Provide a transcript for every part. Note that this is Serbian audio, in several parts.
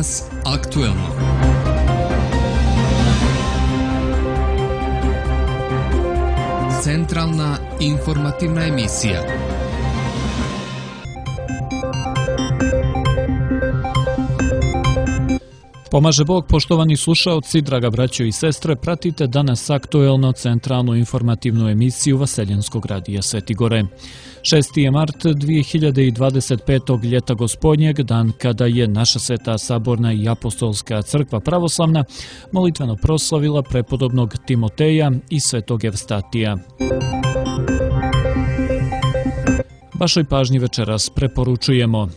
Danas aktuelno. Centralna informativna emisija. Pomaže Bog, poštovani slušaoci, draga braćo i sestre, pratite danas aktuelno centralnu informativnu emisiju Vaseljenskog radija Sveti Gore. 6. je mart 2025. ljeta gospodnjeg, dan kada je naša Sveta Saborna i Apostolska crkva pravoslavna molitveno proslavila prepodobnog Timoteja i svetog Evstatija. Vašoj pažnji večeras preporučujemo: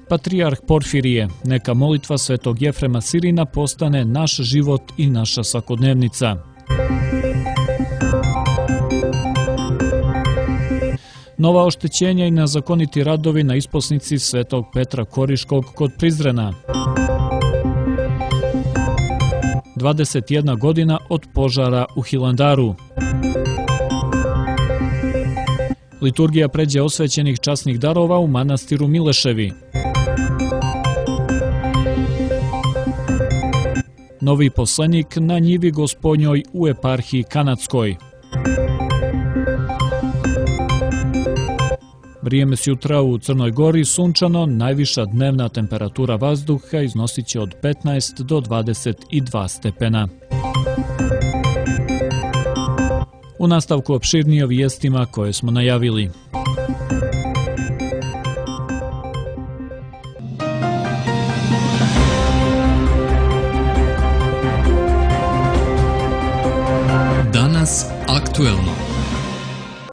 Patrijarh Porfirije, neka molitva svetog Jefrema Sirina postane naš život i naša svakodnevnica. Nova oštećenja i nezakoniti radovi na isposnici svetog Petra Koriškog kod Prizrena. 21 godina od požara u Hilandaru. Liturgija pređe osvećenih časnih darova u manastiru Mileševi. Novi poslanik na njivi gospodnjoj u eparhiji Kanadskoj. Vrijeme s jutra u Crnoj Gori sunčano, najviša dnevna temperatura vazduha iznosit će od 15 do 22 stepena. U nastavku opširnije o vijestima koje smo najavili. Danas aktuelno.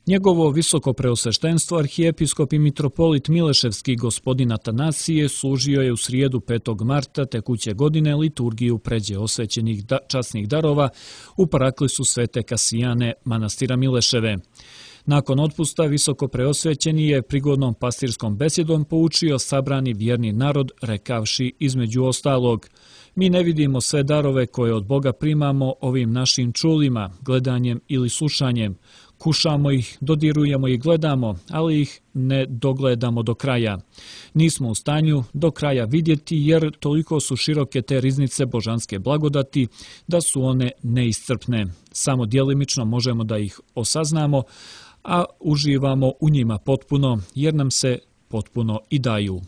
Njegovo visoko preosveštenstvo arhijepiskop i mitropolit Mileševski gospodin Atanasije služio je u srijedu 5. marta tekuće godine liturgiju pređe osvećenih časnih darova u paraklisu Svete Kasijane manastira Mileševe. Nakon otpusta visoko preosvećeni je prigodnom pastirskom besjedom poučio sabrani vjerni narod rekavši između ostalog: mi ne vidimo sve darove koje od Boga primamo ovim našim čulima, gledanjem ili slušanjem. Kušamo ih, dodirujemo i gledamo, ali ih ne dogledamo do kraja. Nismo u stanju do kraja vidjeti jer toliko su široke te riznice božanske blagodati da su one neiscrpne. Samo djelimično možemo da ih osaznamo, a uživamo u njima potpuno jer nam se potpuno i daju.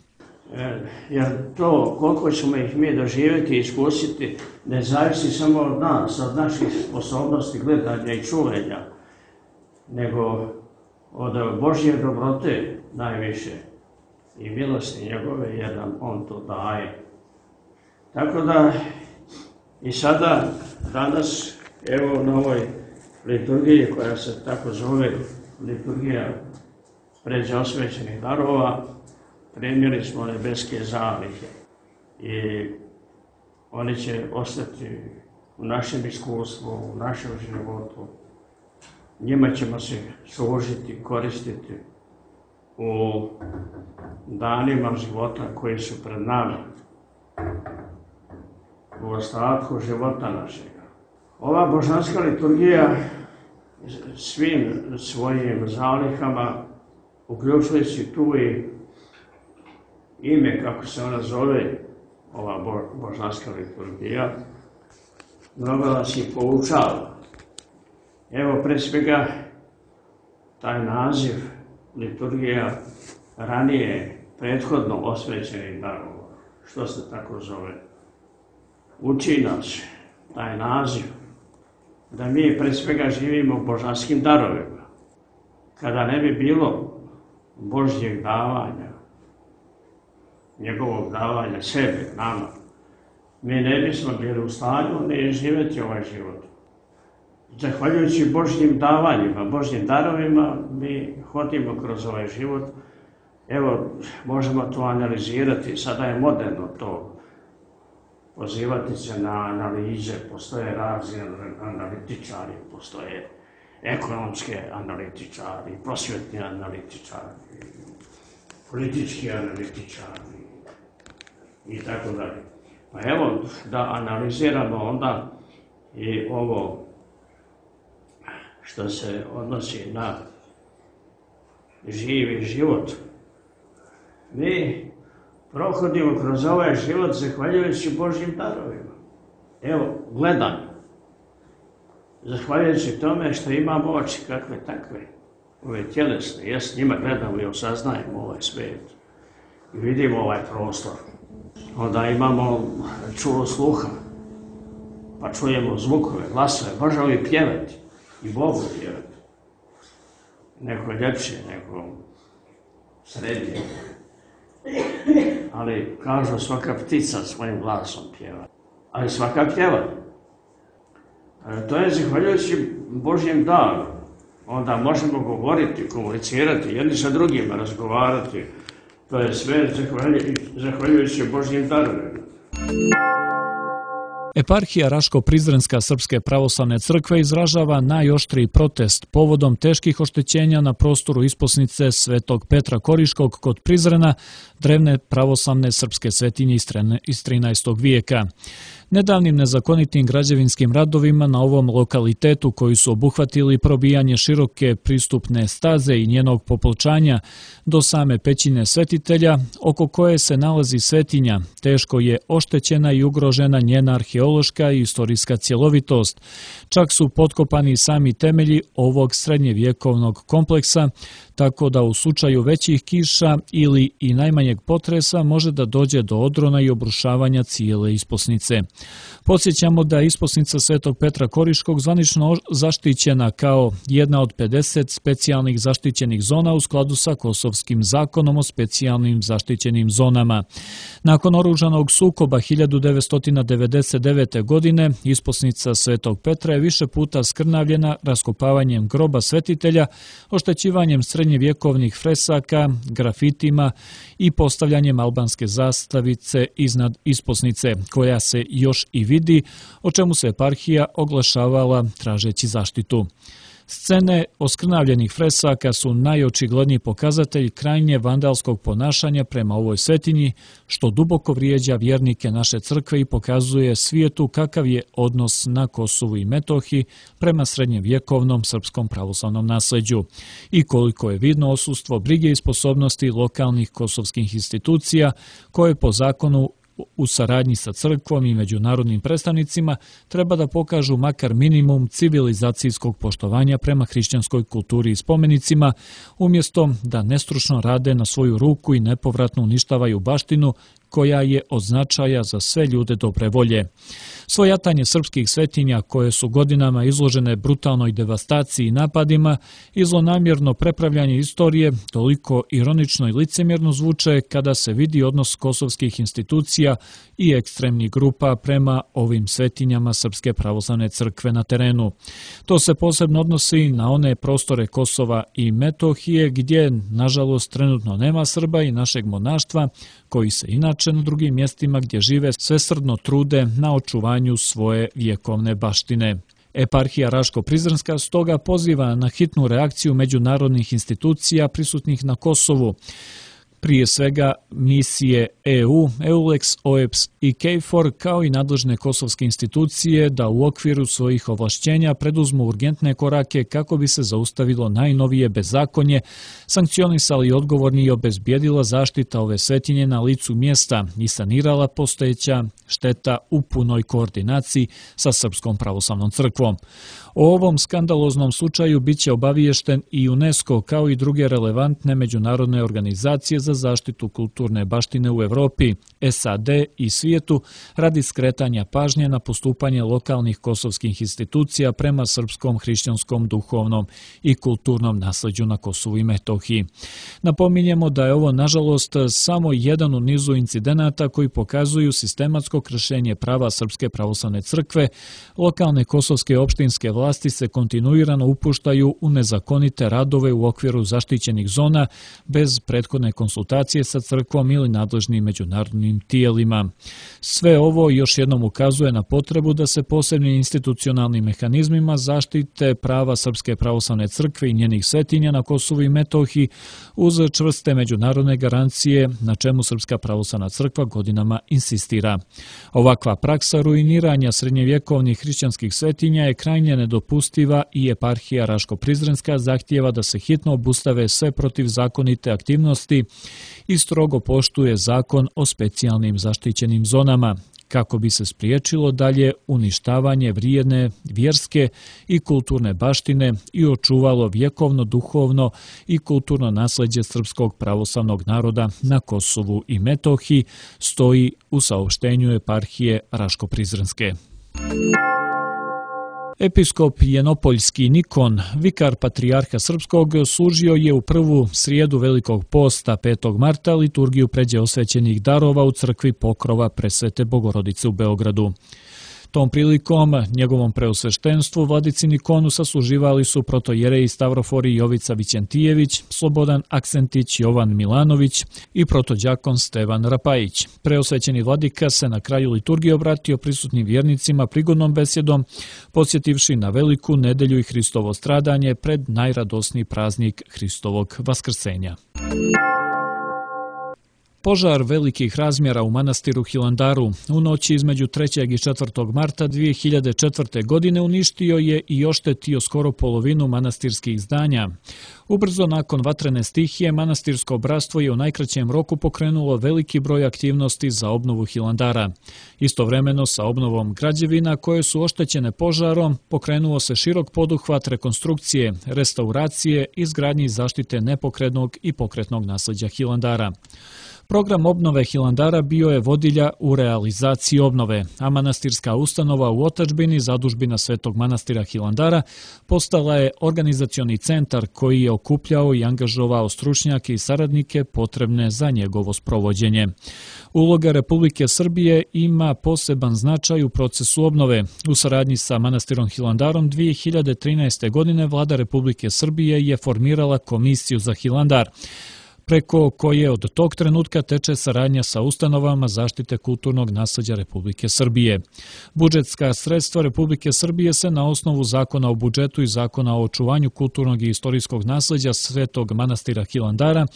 Jer to koliko ćemo ih mi doživjeti i iskusiti ne zavisi samo od nas, od naših sposobnosti gledanja i čuvenja, nego od Božje dobrote najviše i milosti njegove jer nam on to daje. Tako da i sada, danas, evo na ovoj liturgiji koja se tako zove liturgija pređe osvećenih darova, primili smo nebeske zalihe i oni će ostati u našem iskustvu, u našem životu. Njima ćemo se služiti, koristiti u danima života koji su pred nama, u ostatku života našega. Ova božanska liturgija svim svojim zalihama, uključujući tu i ime, kako se ona zove, ova božanska liturgija, mnogo nas i poučava. Evo, pre svega, taj naziv liturgija ranije, prethodno osvećenih darova, što se tako zove, uči nas taj naziv da mi pre svega živimo božanskim darovima. Kada ne bi bilo Božjeg davanja, njegovog davanja sebe, nama, mi ne bismo bili u stanju ni živjeti ovaj život. Zahvaljujući Božjim davanjima, Božjim darovima, mi hodimo kroz ovaj život. Evo, možemo to analizirati, sada je moderno to, pozivati se na analize, postoje razni analitičari, postoje ekonomske analitičari, prosvjetni analitičari, politički analitičari i tako dalje. Pa evo, da analiziramo onda i ovo što se odnosi na živi život Mi prohodimo kroz ovaj život zahvaljujući Božjim darovima. Evo, gledanje. Zahvaljujući tome što imamo oči kakve takve, ove tjelesne, s njima gledamo i osaznajemo ovaj svijet i vidimo ovaj prostor. Onda imamo čulo sluha, pa čujemo zvukove, glasove, možemo li pjevati i Bogu pjevati. Neko ljepše, neko srednje. Ali kažu svaka ptica svojim glasom pjeva, ali svaka pjeva. To je zahvaljujući Božjem daru. Onda možemo govoriti, komunicirati, jedni sa drugima, razgovarati. To je sve zahvaljujući Božjim darovima. Eparhija Raško-Prizrenska Srpske pravoslavne crkve izražava najoštriji protest povodom teških oštećenja na prostoru isposnice Svetog Petra Koriškog kod Prizrena, drevne pravoslavne srpske svetinje iz 13. vijeka. Nedavnim nezakonitim građevinskim radovima na ovom lokalitetu koji su obuhvatili probijanje široke pristupne staze i njenog popolčanja do same pećine svetitelja, oko koje se nalazi svetinja, teško je oštećena i ugrožena njena arheološka i istorijska cjelovitost. Čak su potkopani sami temelji ovog srednjevjekovnog kompleksa, tako da u slučaju većih kiša ili i najmanjeg potresa može da dođe do odrona i obrušavanja cijele isposnice. Podsjećamo da je isposnica Svetog Petra Koriškog zvanično zaštićena kao jedna od 50 specijalnih zaštićenih zona u skladu sa Kosovskim zakonom o specijalnim zaštićenim zonama. Nakon oružanog sukoba 1999. godine isposnica Svetog Petra je više puta skrnavljena raskopavanjem groba svetitelja, oštećivanjem srednjevjekovnih fresaka, grafitima i postavljanjem albanske zastavice iznad isposnice, koja se još i vidi, o čemu se eparhija oglašavala tražeći zaštitu. Scene oskrnavljenih fresaka su najočigledniji pokazatelj krajnje vandalskog ponašanja prema ovoj svetinji, što duboko vrijeđa vjernike naše crkve i pokazuje svijetu kakav je odnos na Kosovu i Metohiji prema srednjevjekovnom srpskom pravoslavnom nasleđu i koliko je vidno odsustvo brige i sposobnosti lokalnih kosovskih institucija koje po zakonu u saradnji sa crkvom i međunarodnim predstavnicima treba da pokažu makar minimum civilizacijskog poštovanja prema hrišćanskoj kulturi i spomenicima, umjesto da nestručno rade na svoju ruku i nepovratno uništavaju baštinu koja je od značaja za sve ljude dobre volje. Svojatanje srpskih svetinja koje su godinama izložene brutalnoj devastaciji i napadima i zlonamjerno prepravljanje istorije toliko ironično i licemjerno zvuče kada se vidi odnos kosovskih institucija i ekstremnih grupa prema ovim svetinjama Srpske pravoslavne crkve na terenu. To se posebno odnosi na one prostore Kosova i Metohije gdje, nažalost, trenutno nema Srba i našeg monaštva, koji se inače na drugim mjestima gdje žive svesrdno trude na očuvanju svoje vjekovne baštine. Eparhija Raško-Prizrenska stoga poziva na hitnu reakciju međunarodnih institucija prisutnih na Kosovu, prije svega misije EU, EULEX, OEBS i KFOR, kao i nadležne kosovske institucije da u okviru svojih ovlašćenja preduzmu urgentne korake kako bi se zaustavilo najnovije bezakonje, sankcionisali odgovorni i obezbijedila zaštita ove svetinje na licu mjesta i sanirala postojeća šteta u punoj koordinaciji sa Srpskom pravoslavnom crkvom. O ovom skandaloznom slučaju biće obaviješten i UNESCO kao i druge relevantne međunarodne organizacije za zaštitu kulturne baštine u Evropi, SAD i svijetu radi skretanja pažnje na postupanje lokalnih kosovskih institucija prema srpskom hrišćanskom duhovnom i kulturnom nasleđu na Kosovu i Metohiji. Napominjemo da je ovo, nažalost, samo jedan u nizu incidenata koji pokazuju sistematsko kršenje prava Srpske pravoslavne crkve. Lokalne kosovske opštinske vlasti se kontinuirano upuštaju u nezakonite radove u okviru zaštićenih zona bez prethodne konsultacije sa crkvom ili nadležnim međunarodnim tijelima. Sve ovo još jednom ukazuje na potrebu da se posebnim institucionalnim mehanizmima zaštite prava Srpske pravoslavne crkve i njenih svetinja na Kosovu i Metohiji uz čvrste međunarodne garancije na čemu Srpska pravoslavna crkva godinama insistira. Ovakva praksa ruiniranja srednjevjekovnih hrišćanskih svetinja je krajnje nedopustiva i eparhija Raško-Prizrenska zahtijeva da se hitno obustave sve protivzakonite aktivnosti i strogo poštuje zakon o specijalnim zaštićenim zonama, kako bi se spriječilo dalje uništavanje vrijedne vjerske i kulturne baštine i očuvalo vjekovno duhovno i kulturno nasljeđe srpskog pravoslavnog naroda na Kosovu i Metohiji, stoji u saopštenju eparhije Raško-Prizrenske. Episkop Jenopoljski Nikon, vikar patrijarha srpskog, služio je u prvu srijedu Velikog posta 5. marta liturgiju pređe osvećenih darova u crkvi Pokrova Presvete Bogorodice u Beogradu. Tom prilikom njegovom preosveštenstvu vladici Nikonu sasluživali su protojereji Stavrofor i Jovica Vićentijević, Slobodan Aksentić, Jovan Milanović i protođakon Stevan Rapajić. Preosvećeni vladika se na kraju liturgije obratio prisutnim vjernicima prigodnom besjedom, podsjetivši na veliku nedelju i Hristovo stradanje pred najradosniji praznik Hristovog vaskrsenja. Požar velikih razmjera u manastiru Hilandaru u noći između 3. i 4. marta 2004. godine uništio je i oštetio skoro polovinu manastirskih zdanja. Ubrzo nakon vatrene stihije, manastirsko bratstvo je u najkraćem roku pokrenulo veliki broj aktivnosti za obnovu Hilandara. Istovremeno sa obnovom građevina koje su oštećene požarom, pokrenuo se širok poduhvat rekonstrukcije, restauracije, izgradnje i zaštite nepokretnog i pokretnog nasljeđa Hilandara. Program obnove Hilandara bio je vodilja u realizaciji obnove, a manastirska ustanova u otadžbini, zadužbina Svetog manastira Hilandara, postala je organizacioni centar koji je okupljao i angažovao stručnjake i saradnike potrebne za njegovo sprovođenje. Uloga Republike Srbije ima poseban značaj u procesu obnove. U saradnji sa manastirom Hilandarom 2013. godine vlada Republike Srbije je formirala Komisiju za Hilandar, preko koje od tog trenutka teče saradnja sa ustanovama zaštite kulturnog nasljeđa Republike Srbije. Budžetska sredstva Republike Srbije se na osnovu Zakona o budžetu i Zakona o očuvanju kulturnog i istorijskog nasljeđa Svetog manastira Hilandara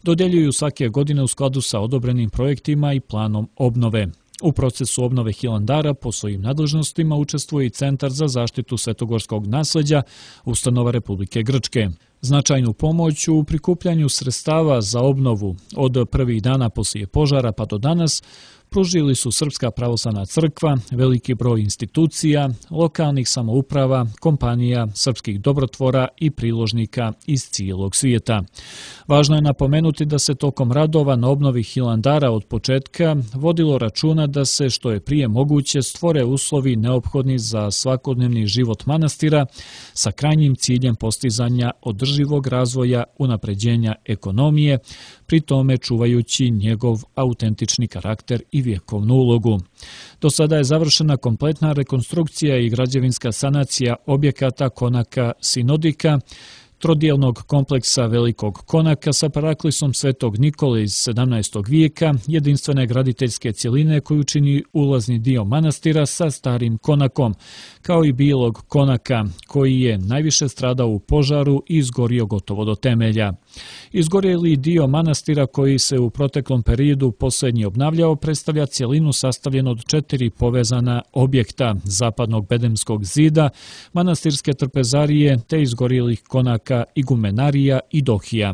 dodjeljuju svake godine u skladu sa odobrenim projektima i planom obnove. U procesu obnove Hilandara po svojim nadležnostima učestvuje i Centar za zaštitu svetogorskog nasljeđa, ustanova Republike Grčke. Značajnu pomoć u prikupljanju sredstava za obnovu od prvih dana poslije požara pa do danas pružili su Srpska pravoslavna crkva, veliki broj institucija, lokalnih samouprava, kompanija, srpskih dobrotvora i priložnika iz cijelog svijeta. Važno je napomenuti da se tokom radova na obnovi Hilandara od početka vodilo računa da se što je prije moguće stvore uslovi neophodni za svakodnevni život manastira sa krajnjim ciljem postizanja održivog razvoja, unapređenja ekonomije, pri tome čuvajući njegov autentični karakter i vjekovnu ulogu. Do sada je završena kompletna rekonstrukcija i građevinska sanacija objekata konaka Sinodika, trodijelnog kompleksa Velikog konaka sa paraklisom Svetog Nikole iz 17. vijeka, jedinstvene graditeljske cjeline koju čini ulazni dio manastira sa starim konakom, kao i Bijelog konaka, koji je najviše stradao u požaru i izgorio gotovo do temelja. Izgorjeli dio manastira koji se u proteklom periodu posljednji obnavljao predstavlja cjelinu sastavljenu od 4 povezana objekta zapadnog Bedemskog zida, manastirske trpezarije te izgorjelih konaka igumenarija i dohija.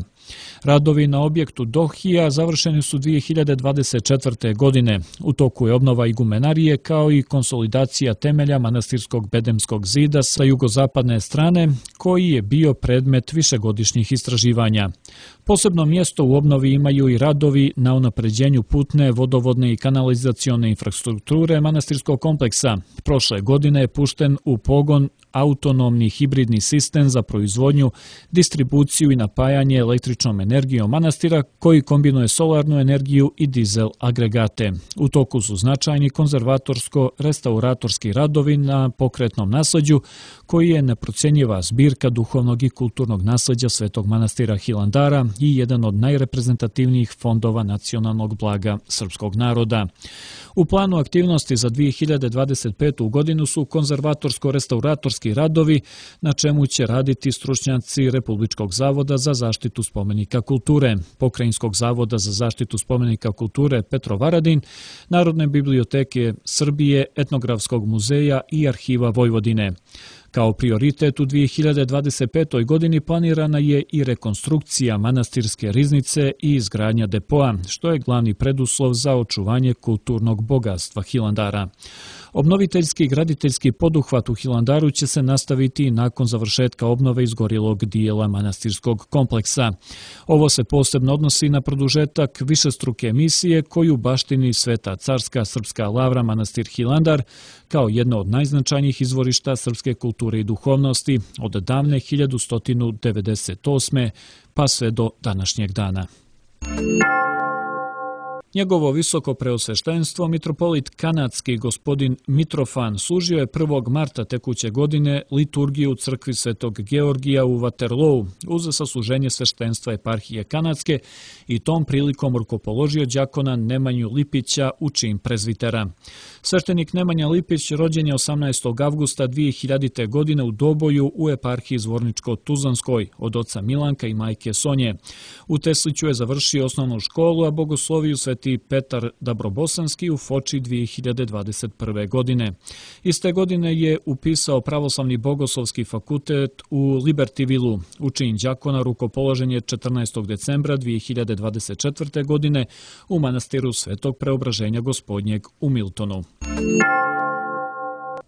Radovi na objektu dohija završeni su 2024. godine. U toku je obnova igumenarije kao i konsolidacija temelja manastirskog Bedemskog zida sa jugozapadne strane, koji je bio predmet višegodišnjih istraživanja. Posebno mjesto u obnovi imaju i radovi na unapređenju putne, vodovodne i kanalizacione infrastrukture manastirskog kompleksa. Prošle godine je pušten u pogon autonomni hibridni sistem za proizvodnju, distribuciju i napajanje električnom energijom manastira koji kombinuje solarnu energiju i dizel agregate. U toku su značajni konzervatorsko-restauratorski radovi na pokretnom nasljeđu koji je neprocjenjiva zbirka duhovnog i kulturnog nasljeđa Svetog manastira Hilandara i jedan od najreprezentativnijih fondova nacionalnog blaga srpskog naroda. U planu aktivnosti za 2025. godinu su konzervatorsko-restauratorski radovi, na čemu će raditi stručnjaci Republičkog zavoda za zaštitu spomenika kulture, Pokrajinskog zavoda za zaštitu spomenika kulture Petrovaradin, Narodne biblioteke Srbije, Etnografskog muzeja i Arhiva Vojvodine. Kao prioritet u 2025. godini planirana je i rekonstrukcija manastirske riznice i izgradnja depoa, što je glavni preduslov za očuvanje kulturnog bogatstva Hilandara. Obnoviteljski i graditeljski poduhvat u Hilandaru će se nastaviti nakon završetka obnove izgorjelog dijela manastirskog kompleksa. Ovo se posebno odnosi na produžetak višestruke misije koju baštini Sveta carska srpska lavra manastir Hilandar kao jedno od najznačajnijih izvorišta srpske kulture i duhovnosti od davne 1198. pa sve do današnjeg dana. Njegovo visoko preosveštenstvo, mitropolit kanadski gospodin Mitrofan, služio je 1. marta tekuće godine liturgiju u crkvi Svetog Georgija u Waterloo uz sasluženje sveštenstva eparhije kanadske i tom prilikom rukopoložio đakona Nemanju Lipića u čin prezvitera. Sveštenik Nemanja Lipić rođen je 18. avgusta 2000. godine u Doboju u eparhiji Zvorničko-Tuzlanskoj od oca Milanka i majke Sonje. U Tesliću je završio osnovnu školu, a bogosloviju Sveti Petar Dabrobosanski u Foči 2021. godine. Iste godine je upisao Pravoslavni bogoslovski fakultet u Libertyvilu. U čin đakona rukopoložen je 14. decembra 2024. godine u manastiru Svetog Preobraženja Gospodnjeg u Miltonu.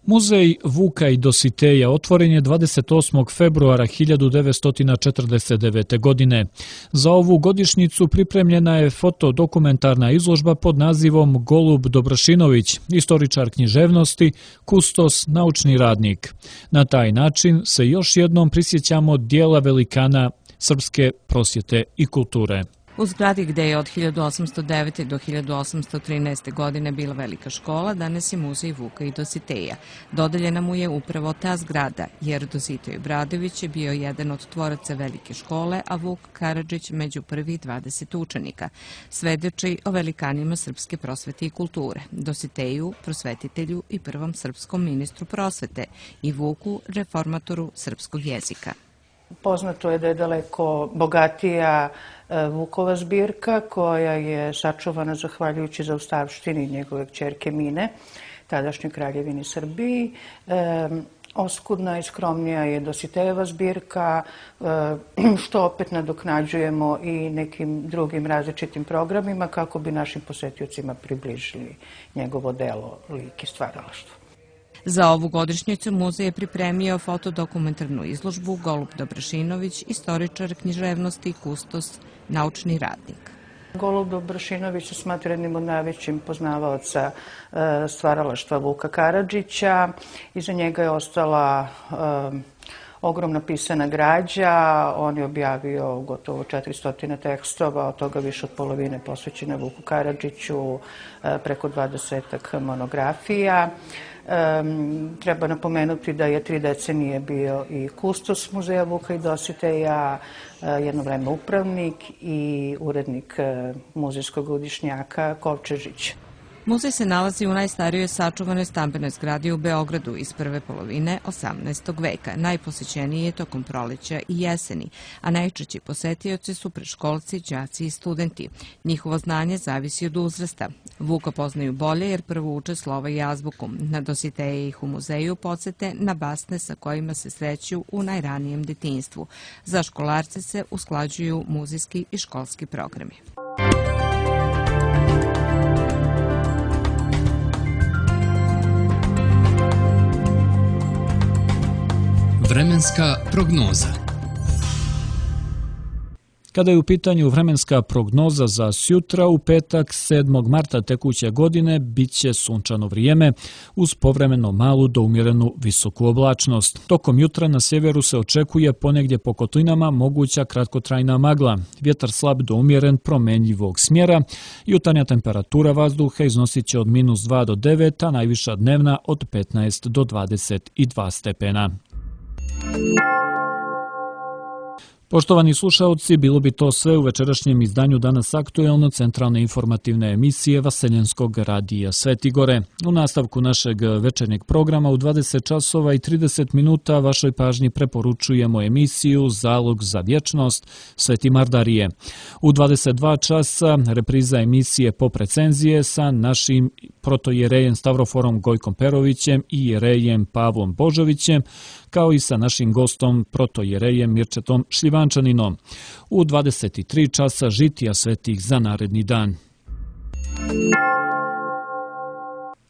Muzej Vuka i Dositeja otvoren je 28. februara 1949. godine. Za ovu godišnjicu pripremljena je fotodokumentarna izložba pod nazivom Golub Dobrašinović, istoričar književnosti, kustos, naučni radnik. Na taj način se još jednom prisjećamo dijela velikana srpske prosvjete i kulture. U zgradi gde je od 1809. do 1813. godine bila velika škola, danas je muzej Vuka i Dositeja. Dodeljena mu je upravo ta zgrada, jer Dositej Obradović je bio jedan od tvoraca velike škole, a Vuk Karadžić među prvih 20 učenika. Svedoči o velikanima srpske prosvete i kulture, Dositeju, prosvetitelju i prvom srpskom ministru prosvete i Vuku, reformatoru srpskog jezika. Poznato je da je daleko bogatija Vukova zbirka koja je sačuvana zahvaljujući zaostavštini njegove kćerke Mine, tadašnjoj kraljevini Srbiji. Oskudna i skromnija je Dositejeva zbirka, što opet nadoknađujemo i nekim drugim različitim programima kako bi našim posetiocima približili njegovo delo, lik i stvaralaštvo. Za ovu godišnjicu muzej je pripremio fotodokumentarnu izložbu Golub Dobrašinović, istoričar književnosti i kustos, naučni radnik. Golub Dobrašinović se smatra jednim od najvećim poznavaoca stvaralaštva Vuka Karadžića. Iza njega je ostala ogromna pisana građa, on je objavio gotovo 400 tekstova, od toga više od polovine posvećene Vuku Karadžiću, preko 20 monografija. Treba napomenuti da je 3 decenije bio i kustos muzeja Vuka i Dositeja, jedno vreme upravnik i urednik muzejskog godišnjaka Kovčežić. Muzej se nalazi u najstarijoj sačuvanoj stambenoj zgradi u Beogradu iz prve polovine 18. veka. Najposećeniji je tokom proleća i jeseni, a najčešći posetioci su predškolci, đaci i studenti. Njihovo znanje zavisi od uzrasta. Vuka poznaju bolje jer prvo uče slova i azbuku. Na Dositeje ih u muzeju podsete na basne sa kojima se sreću u najranijem detinjstvu. Za školarce se usklađuju muzejski i školski programi. Vremenska prognoza. Kada je u pitanju vremenska prognoza za sjutra, u petak 7. marta tekuće godine biće sunčano vrijeme uz povremeno malu do umjerenu visoku oblačnost. Tokom jutra na sjeveru se očekuje ponegdje po kotlinama moguća kratkotrajna magla. Vjetar slab do umjeren promenljivog smjera. Jutarnja temperatura vazduha iznosit će od -2 do 9, a najviša dnevna od 15 do 22 stepena. Poštovani slušaoci, bilo bi to sve u večerašnjem izdanju Danas aktuelno centralne informativne emisije Vaseljenskog radija Svetigore. U nastavku našeg večernjeg programa u 20 časova i 30 minuta vašoj pažnji preporučujemo emisiju Zalog za vječnost Sveti Mardarije. U 22 časa repriza emisije Pop recenzije sa našim protojerejem Stavroforom Gojkom Perovićem i jerejem Pavlom Božovićem, kao i sa našim gostom protojerejem Mirčetom Šljivančaninom. U 23 časa žitija svetih za naredni dan.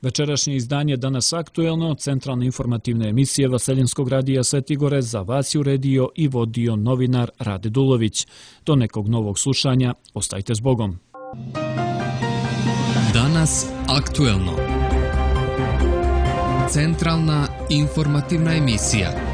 Večerašnje izdanje Danas aktuelno, centralne informativne emisije Vaseljenskog radija Svetigore za vas je uredio i vodio novinar Rade Dulović. Do nekog novog slušanja, ostajte s Bogom. Danas aktuelno. Centralna informativna emisija.